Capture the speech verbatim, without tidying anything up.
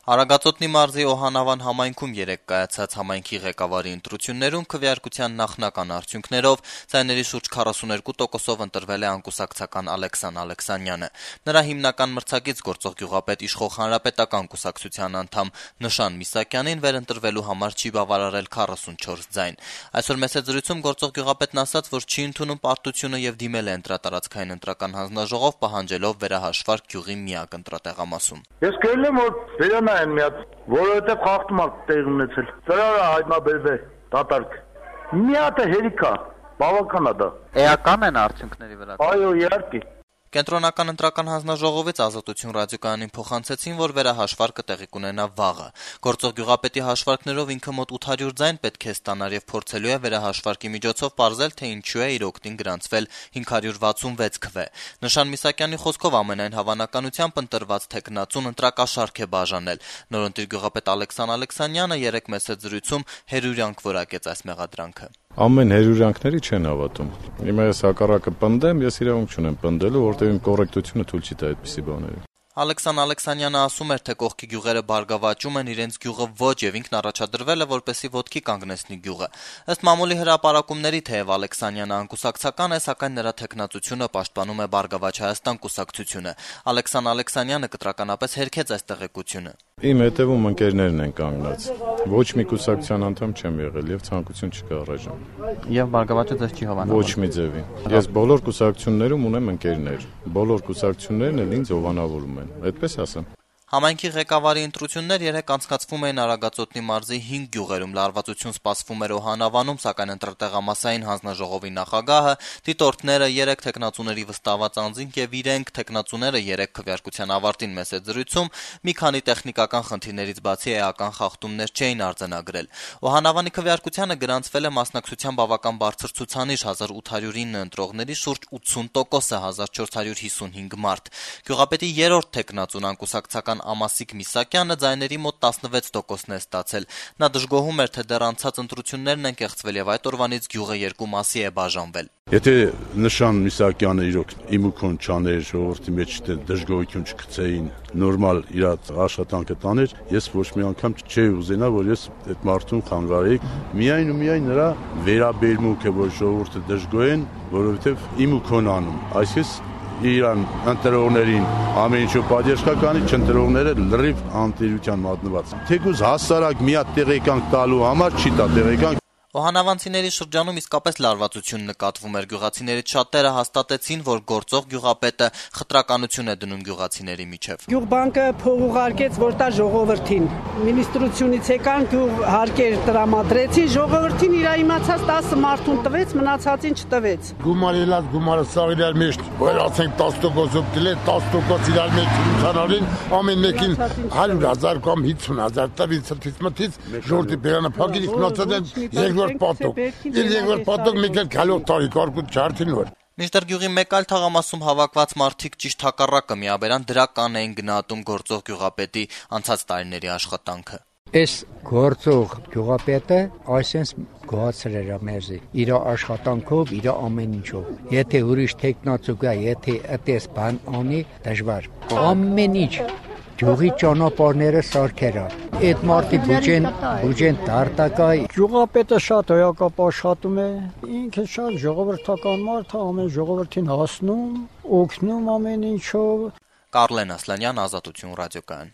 Արագածոտնի մարզի Օհանավան համայնքում երեկ կայացած համայնքի ղեկավարի ընտրություններում քվեարկության նախնական արդյունքներով ձայների շուրջ քառասուներկու տոկոսով ընտրվել է անկուսակցական Ալեքսան Ալեքսանյանը։ Նրա հիմնական մրցակից գործող գյուղապետ իշխող Հանրապետական կուսակցության անդամ Նշան Միսակյանին վերընտրվելու համար չի բավարարել քառասունչորս ձայն։ Այսօր մեծ զրույցում գործող գյուղապետն ասաց, որ չի ընդունում պարտությունը եւ դիմել է ընտրատարածքային ընտրական հանձնաժողով, պահանջելով վերահաշվարկ գյուղի միակ ընտրատեղամասում։ Ես գերել եմ, որ են մի հատ, որովհետև խախտումակ տեղ ունեցել։ Ծրարը հայտնաբերվել դատարկ։ Մի հատ է հերիք է, բավական է դա։ Էական են արդյունքների վրա։ Այո, իհարկե։ Կենտրոնական ընտրական հանձնաժողովից Ազատություն ռադիոկայանին փոխանցեցին, որ վերահաշվարկը տեղի կունենա վաղը։ Գործող գյուղապետի հաշվարկներով ինքը մոտ ութ հարյուր ձայն պետք է ստանար եւ փորձելու է վերահաշվարկի միջոցով պարզել, թե ինչու է իր օգտին գրանցվել հինգ հարյուր վաթսունվեց քվե։ Նշան Միսակյանի խոսքով ամենայն հավանականությամբ ընտրված թեկնածուն ընտրակաշարք է բաժանել։ Նորընտիր գյուղապետ Ալեքսան Ալեքսանյանը երեկ մեծ զրույցում հերյուրյանք որակեց այս մեղադրանքը։ Ամեն հերյուրյանքների չեն հավատում։ Հիմա ես հակառակը պնդեմ, ես իրավունք չունեմ պնդելու, որտեղ իմ կոռեկտությունը թույլ չի տա այդպիսի բաների։ Ալեքսան Ալեքսանյանը ասում էր, թե կողքի գյուղերը բարգավաճում են, իրենց գյուղը ոչ, եւ ինքն առաջադրվել է, որպեսզի ոտքի կանգնեցնի գյուղը։ Ըստ մամուլի հրապարակումների, թեև Ալեքսանյանը անկուսակցական է, սակայն նրա թեկնածությունը պաշտպանում է Բարգավաճ Հայաստան կուսակցությունը։ Ալեքսան Ալեքսանյանը կտրականապես հերքեց այս տեղեկությունը։ Իմ հետևում ընկերներն են կանգնած։ Ոչ մի կուսակցության անդամ չեմ եղել եւ ցանկություն չկա առայժմ։ Եվ Բարգավաճը ձեզ չի հավանաբար։ Ոչ մի ձևի։ Ես բոլոր կուսակցություններում ունեմ ընկերներ։ Բոլոր կուսակցություններն էլ ինձ հովանավորում են։ Այդպես ասեմ։ Համայնքի ղեկավարի ընտրություններ երեկ անցկացվում էին Արագածոտնի մարզի հինգ գյուղերում, լարվածություն սպասվում էր Օհանավանում, սակայն ընտրատեղամասային հանձնաժողովի նախագահը, դիտորդները, երեք թեկնածուների վստահված անձինք եւ իրենք թեկնածուները երեկ քվեարկության ավարտին մեծ զրույցում մի քանի տեխնիկական խնդիրներից բացի էական խախտումներ չէին արձանագրել։ Օհանավանի քվեարկությանը գրանցվել է մասնակցության բավական բարձր ցուցանիշ հազար ութ հարյուր ինը ընտրողների շուրջ ութսուն տոկոսը հազար չորս հարյուր հիսունհինգ մարդ։ Գյուղապետի երրորդ թեկնածուն անկուսակցական Ամասիկ Միսակյանը ձայների մոտ տասնվեց տոկոսն է ստացել։ Նա դժգոհում էր, թե դեռ անցած ընտրություններն են կեղծվել եւ այդ օրվանից գյուղը երկու մասի է բաժանվել։ Եթե Նշան Միսակյանը իրոք իմուքոն չաներ, ժողովրդի մեջ դժգոհություն չգցեին, նորմալ իր աշխատանքը տաներ, ես ոչ մի անգամ չէի ուզենա, որ ես այդ մարդուն խանգարեի։ Միայն ու միայն նրա վերաբերմունքը, որ ժողովուրդը դժգոհ են, որովհետեւ իմուքոն անում։ Այսինքն Իրան ընտրողներին ամեն ինչու պատժկականի չընտրողները լրիվ անտիրության մատնված։ Թեկուզ հասարակ մի հատ տեղեկանք տալու համար չի տա տեղեկանք։ Օհանավանցիների շրջանում իսկապես լարվածություն նկատվում էր։ Գյուղացիներից շատերը հաստատեցին, որ գործող գյուղապետը խտրականություն է դնում գյուղացիների միջև։ Գյուղբանկը փող ուղարկեց, որ տա ժողովրդին։ Մինիստրությունից եկան, գյուղ հարկեր տրամադրեցին, ժողովրդին իր իմացած տասը մարդուն տվեց, մնացածին չտվեց։ Գումար ելած, գումարը սաղ իրար մեջ, որ ասենք տասը տոկոսով դիլե, տասը տոկոս իրար մեջ ցանալին, ամեն մեկին հարյուր հազար կամ հիսուն հազար տվից ցտից մտից, ժողովրդի բերանը փակին, մնացած Պատոք։ Իր երկրորդ պատոք մի քիչ գալով տարի կարկուտ չարթին որ։ Մինչդեռ գյուղի մեկ այլ թաղամասում հավաքված մարդիկ ճիշտ հակառակը միաբերան դրական էին գնահատում գործող գյուղապետի անցած տարիների աշխատանքը։ Այս գործող գյուղապետը այսպես գոհացել էր մեզի իր աշխատանքով, իր ամեն ինչով։ Եթե ուրիշ տեխնացու գա, եթե այդպես բան անի, դժվար։ Ամեն ինչ Գյուղի ճանապարհները սարքերա։ Այդ մարդի բուջեն բուջեն տարտակա։ Գյուղապետը շատ հոյակապ աշխատում է։ Ինքը շատ ժողովրդական մարդ է, ամեն ժողովրդին հասնում, օգնում ամեն ինչով։ Կարլեն Ասլանյան, Ազատություն ռադիոկայան։